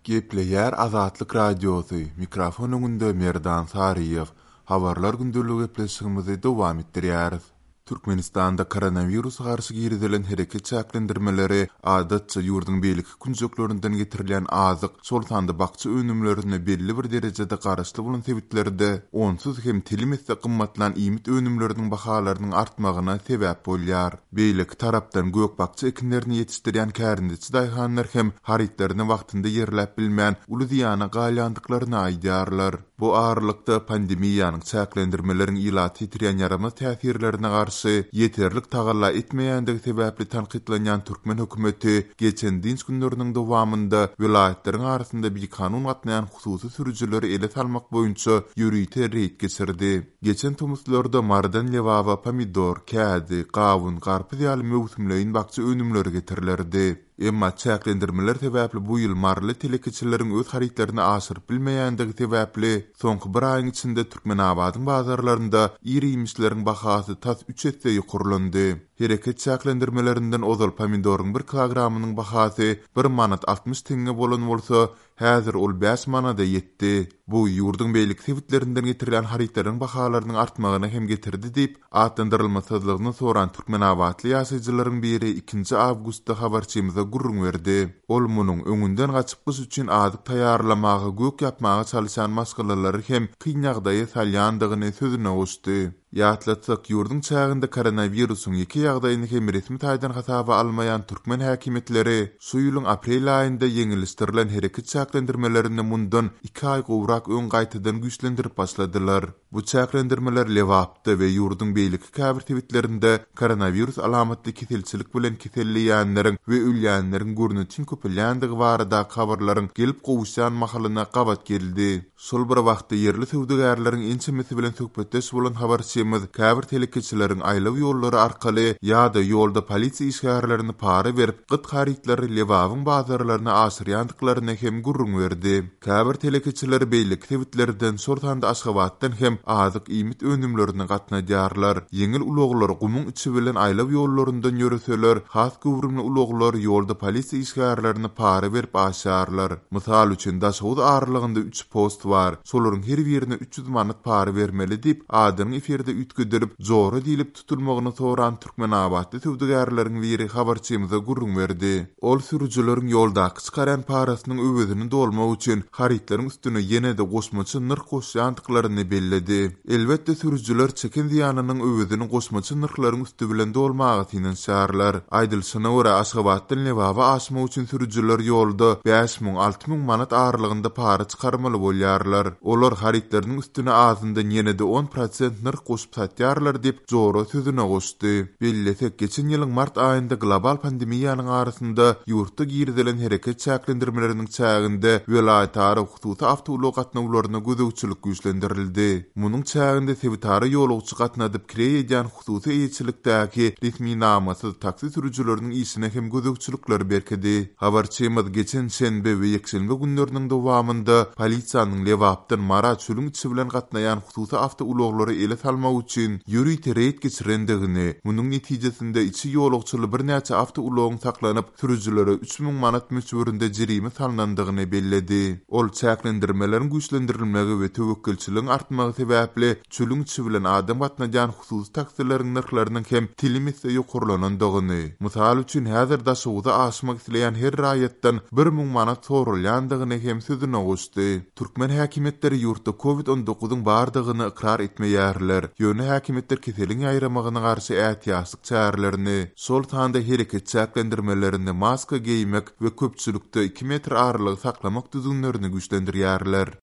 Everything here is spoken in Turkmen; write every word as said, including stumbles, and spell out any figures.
Gepleýär Azatlyk Radiosy, mikrofon öňünde Merdan Saryýew. Habarlar gündeligi gepleşigimizi dowam etdirýäris. Türkmenistanda koronawirusa garşy girizilen hereket çäklendirmeleri adatça ýurduň beýleki künjeklerinden getirilýän azyk, şol sanda bakja önümlerine belli bir derejede garaşly bolan sebitlerde onsuz hem telim esse gymmatlan iýmit önümleriniň bahalarynyň artmagyna sebäp bolýar. Beýleki tarapdan gök-bakja ekinlerini ýetişdirýän kärendeçi daýhanlar hem harytlaryny wagtynda ýerläp bilmän, uly zyýana galýandyklaryny aýdýarlar. Bu aralykda pandemiýanyň çäklendirmeleriň ilaty ýetirýän ýaramaz täsirlerine garşy ýeterlik tagalla etmeýändigi sebäpli tankytlanýan türkmen hökümeti geçen dynç günleriniň dowamynda welaýatlaryň arasynda bikanun gatnaýan hususy sürüjileri ele salmak boýunça ýörite reýd geçirdi. Geçen tomuslarda Marydan Lebaba pomidor, kädi, gawun, garpyz ýaly möwsümleýin bakja önümleri getirilerdi. Emma çäklendirmeler sebäpli bu ýyl maryly telekeçileriň öz harytlaryny aşyryp bilmeýändigi sebäpli soňky bir aýyň içinde Türkmenabadyň bazarlarynda ir-iýmişleriň bahasy tas üç esse ýokarlandy. Hereket çäklendirmelerinden ozal pomidoryň bir kilogramynyň bahasy bir manat altmyş teňňe bolan bolsa, häzir ol bäş manada ýetdi. Bu ýurduň beýleki sebitlerinden getirilýän harytlaryň bahalarynyň artmagyna hem getirdi diýip, atlandyrylmasyzlygyny soran türkmenabatly ýaşaýjylaryň biri ikinji awgustda habarçymyza gürrüň berdi. Ol munuň öňünden gaçyp gyş üçin azyk taýýarlamaga, gök ýapmaga çalyşan maşgalalary hem kyn ýagdaýa salýandygyny sözüne goşdy. Ýatlatsak, ýurduň çäginde koronawirusyň ýeke ýagdaýyny hem resmi taýdan hasaba almaýan türkmen häkimiýetleri şu ýylyň aprel aýynda ýeňilleşdirilen hereket çäklendirmelerini mundan iki aý gowrak öň gaýtadan güýçlendirip başladylar. Bu çäklendirmeler Lebapda we ýurduň beýleki käbir sebitlerinde koronawirus alamatly keselçilik bilen keselleýänleriň we ölýänleriň görnetin köpelýändigi baradaky habarlaryň gelip gowuşýan mahalyna gabat geldi. Şol bir wagtda ýerli söwdagärleriň ençemesi bilen söhbetdeş bolan habarçymyz käbir telekeçileriň aýlaw ýollary arkaly ýa-da ýolda polisiýa işgärlerini para berip, gyt harytlary Lebabyň bazarlaryna aşyrýandyklaryny hem gürrüň berdi. Käbir telekeçiler beýleki sebitlerden, şol sanda Aşgabatdan hem azyk iýmit önümlerini gatnadýarlar. Ýeňil ulaglar gumuň içi bilen aýlaw ýollaryndan ýöreseler, has göwrümli ulaglar ýolda polisiýa işgärlerini para berip aşýarlar. Mysal üçin, Daşoguz aralygynda üç post bar. Şolaryň her birine üç ýüz manat para bermeli diýip, adynyň efirde üýtgedilip, Jora diýlip tutulmagyny soran türkmenabatly söwdagärleriň biri habarçymyza gürrüň berdi. Ol sürüjileriň ýoldaky çykarýan parasynyň öwezini dolmak üçin harytlaryň üstüne ýene-de goşmaça nyrh goşýandyklaryny belledi. Elbetde, sürüjiler çeken zyýanynyň öwezini goşmaça nyrhlaryň üsti bilen dolmaga synanyşýarlar. Aýdylyşyna görä, Aşgabatdan Lebaba aşmak üçin sürüjiler ýolda bäş müň, alty müň manat aralygynda para çykarmaly bolýarlar. Olar harytlarynyň üstüne azyndan ýene-de on prosent nyrh goşup satýarlar diýip, Jora sözüne goşdy. Bellesek, geçen ýylyň mart aýynda global pandemiýanyň arasynda ýurtda girizilen hereket çäklendirmeleriniň çäginde welaýatara hususy awtoulag gatnawlaryna gözegçilik güýçlendirildi. Munuň çäginde sebitara ýolagçy gatnadyp kireý edýän hususy eýeçilikdäki resminamasyz taksi sürüjileriniň işine hem gözegçilikler berkedi. Habarçymyz geçen şenbe we ýekşenbe günleriniň dowamynda polisiýanyň Lebapdan Mara çölüň içi bilen gatnaýan hususy awtoulaglary ele salmak üçin ýörite reýd geçirendigini, munuň netijesinde içi ýolagçyly birnäçe awtoulagyň saklanyp, sürüjilere üç müň manat möçberinde jerime salnandygyny belledi. Ol çäklendirmeleriň güýçlendirilmegi we töwekgelçiligiň artmagy sebäpli çölüň içi bilen adam gatnadýan hususy taksileriň nyrhlarynyň hem telim esse ýokarlanandygyny, mysal üçin, häzir Daşoguza aşmak isleýän her raýatdan bir müň manat soralýandygyny hem sözüne goşdy. Türkmen häkimiýetleri ýurtda Covid on dokuzyň bardygyny ykrar etmeýärler, ýöne häkimiýetler keseliň ýaýramagyna garşy ätiýaçlyk çärelerini, şol sanda hereket çäklendirmelerini, maska geýmek we köpçülikde iki metr aralygy saklamak düzgünlerini güýçlendirýärler.